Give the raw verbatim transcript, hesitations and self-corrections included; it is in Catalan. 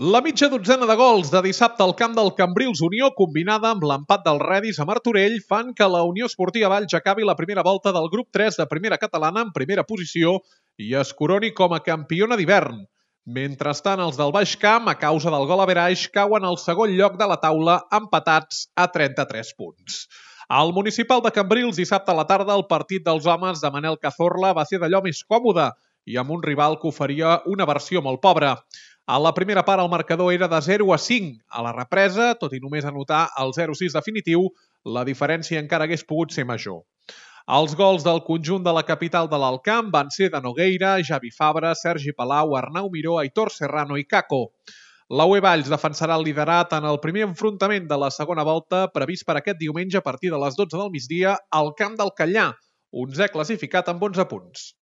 La mitja dotzena de gols de dissabte al camp del Cambrils Unió, combinada amb l'empat del Redis a Martorell, fan que la Unió Esportiva Valls acabi la primera volta del grup tres de primera catalana en primera posició i es coroni com a campiona d'hivern. Mentrestant, els del Baix Camp, a causa del gol average, cauen al segon lloc de la taula empatats a trenta-tres punts. Al municipal de Cambrils, dissabte a la tarda, el partit dels homes de Manel Cazorla va ser d'allò més còmode i amb un rival que oferia una versió molt pobra. A la primera part el marcador era de zero a cinc. A la represa, tot i només anotar el zero a sis definitiu, la diferència encara hagués pogut ser major. Els gols del conjunt de la capital de l'Alt Camp van ser de Nogueira, Javi Fabra, Sergi Palau, Arnau Miró, Aitor Serrano i Caco. La U E Valls defensarà el liderat en el primer enfrontament de la segona volta previst per aquest diumenge a partir de les dotze del migdia al camp del Catllà, onzè classificat amb onze punts.